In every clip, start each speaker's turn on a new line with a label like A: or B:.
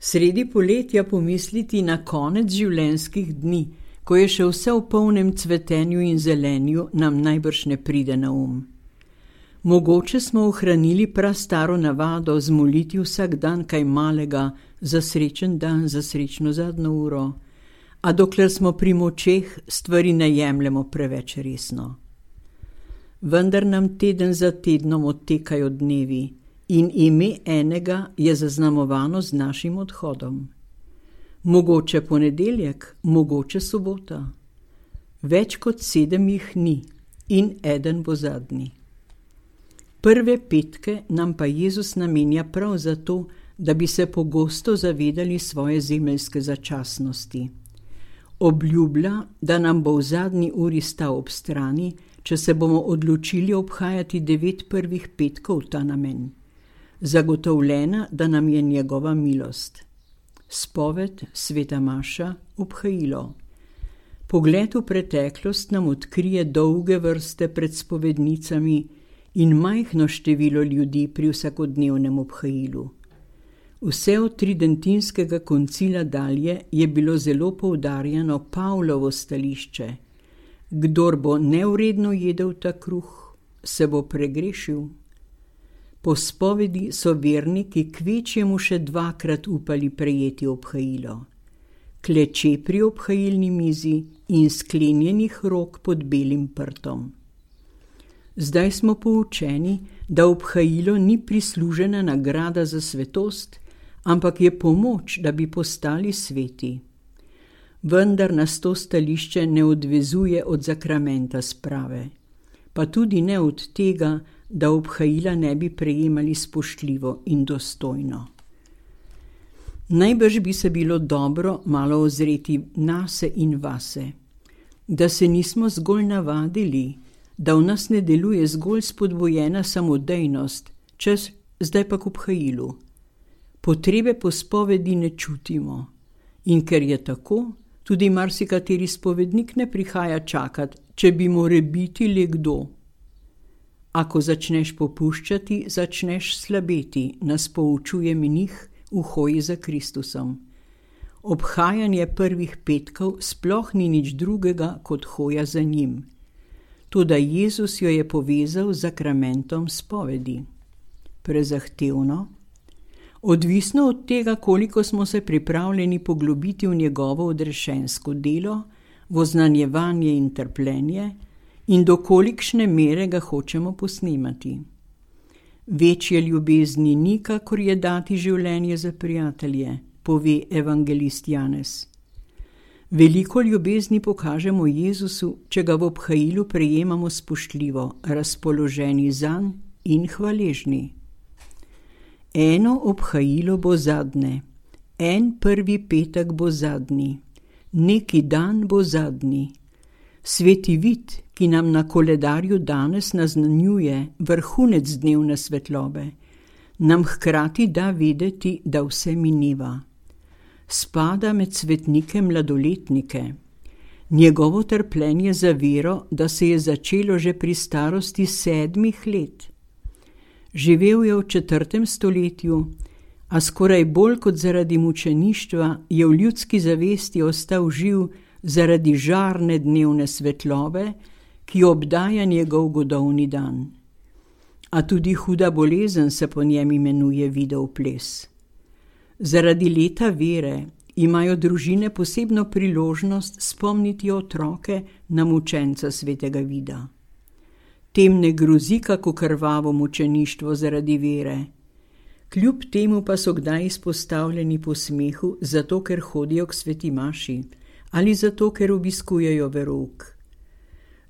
A: Sredi poletja pomisliti na konec življenjskih dni, ko je še vse v polnem cvetenju in zelenju, nam najbrž ne pride na um. Mogoče smo ohranili prastaro navado zmoliti vsak dan kaj malega za srečen dan, za srečno zadnjo uro, a dokler smo pri močeh, stvari ne jemljemo preveč resno. Vendar nam teden za tednom odtekajo dnevi in ime enega je zaznamovano z našim odhodom. Mogoče ponedeljek, mogoče sobota. Več kot 7 jih ni in eden bo zadnji. Prve petke nam pa Jezus namenja prav zato, da bi se pogosto zavedali svoje zemeljske začasnosti. Obljublja, da nam bo v zadnji uri stal ob strani, če se bomo odločili obhajati 9 prvih petkov v ta namen. Zagotovljena, da nam je njegova milost. Spoved, sveta maša, obhajilo. Pogled v preteklost nam odkrije dolge vrste pred spovednicami in majhno število ljudi pri vsakodnevnem obhajilu. Vse od tridentinskega koncila dalje je bilo zelo poudarjeno Pavlovo stališče. Kdor bo nevredno jedel ta kruh, se bo pregrešil. Po spovedi so verniki kvečjemu še 2-krat upali prejeti obhajilo. Kleče pri obhajilni mizi in sklenjenih rok pod belim prtom. Zdaj smo poučeni, da obhajilo ni prislužena nagrada za svetost, ampak je pomoč, da bi postali sveti. Vendar nas to stališče ne odvezuje od zakramenta sprave, pa tudi ne od tega, da obhajila ne bi prejemali spoštljivo in dostojno. Najbrž bi se bilo dobro malo ozreti nase in vase, da se nismo zgolj navadili, da v nas ne deluje zgolj spodbojena samodejnost, čez zdaj pa k obhajilu. Potrebe po spovedi ne čutimo in ker je tako, tudi marsikateri spovednik ne prihaja čakat, če bi morebiti le kdo. Ako začneš popuščati, začneš slabeti, nas poučuje menih v hoji za Kristusom. Obhajanje prvih petkov sploh ni nič drugega kot hoja za njim. Toda Jezus jo je povezal z zakramentom spovedi. Prezahtevno? Odvisno od tega, koliko smo se pripravljeni poglobiti v njegovo odrešensko delo, v oznanjevanje in trpljenje in do kolikšne mere ga hočemo posnemati. Večje ljubezni ni, kakor je dati življenje za prijatelje, pove evangelist Janez. Veliko ljubezni pokažemo Jezusu, če ga v obhajilu prejemamo spoštljivo, razpoloženi zanj in hvaležni. Eno obhajilo bo zadnje, en prvi petek bo zadnji, neki dan bo zadnji. Sveti vid, ki nam na koledarju danes naznanjuje vrhunec dnevne svetlobe, nam hkrati da vedeti, da vse mineva. Spada med svetnike mladoletnike. Njegovo trpljenje za vero, da se je začelo že pri starosti 7 let. Živel je v 4. stoletju, a skoraj bolj kot zaradi mučeništva je v ljudski zavesti ostal živ zaradi žarne dnevne svetlobe, ki obdaja njegov godovni dan. A tudi huda bolezen se po njem imenuje videl ples. Zaradi leta vere imajo družine posebno priložnost spomniti otroke na mučenca svetega vida. Tem ne grozi kako krvavo mučeništvo zaradi vere. Kljub temu pa so kdaj izpostavljeni posmehu, zato ker hodijo k sveti maši ali zato ker obiskujejo verouk.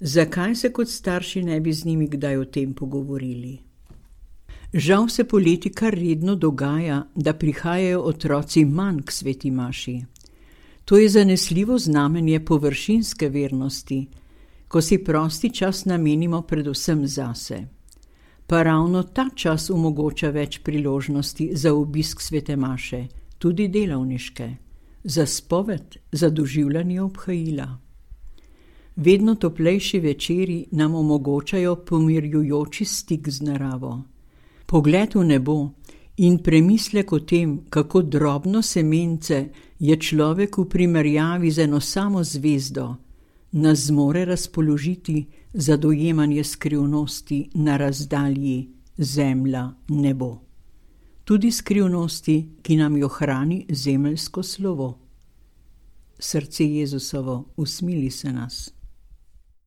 A: Zakaj se kot starši ne bi z njimi kdaj o tem pogovorili? Žal se poleti kar redno dogaja, da prihajajo otroci manj k sveti maši. To je zanesljivo znamenje površinske vernosti, ko si prosti čas namenimo predvsem zase. Pa ravno ta čas omogoča več priložnosti za obisk svete maše, tudi delavniške, za spoved, za doživljanje obhajila. Vedno toplejši večeri nam omogočajo pomirjujoči stik z naravo. Pogled v nebo In premislek o tem, kako drobno semence je človek v primerjavi z eno samo zvezdo, nas zmore razpoložiti za dojemanje skrivnosti na razdalji zemlja-nebo. Tudi skrivnosti, ki nam jo hrani zemeljsko slovo. Srce Jezusovo, usmili se nas.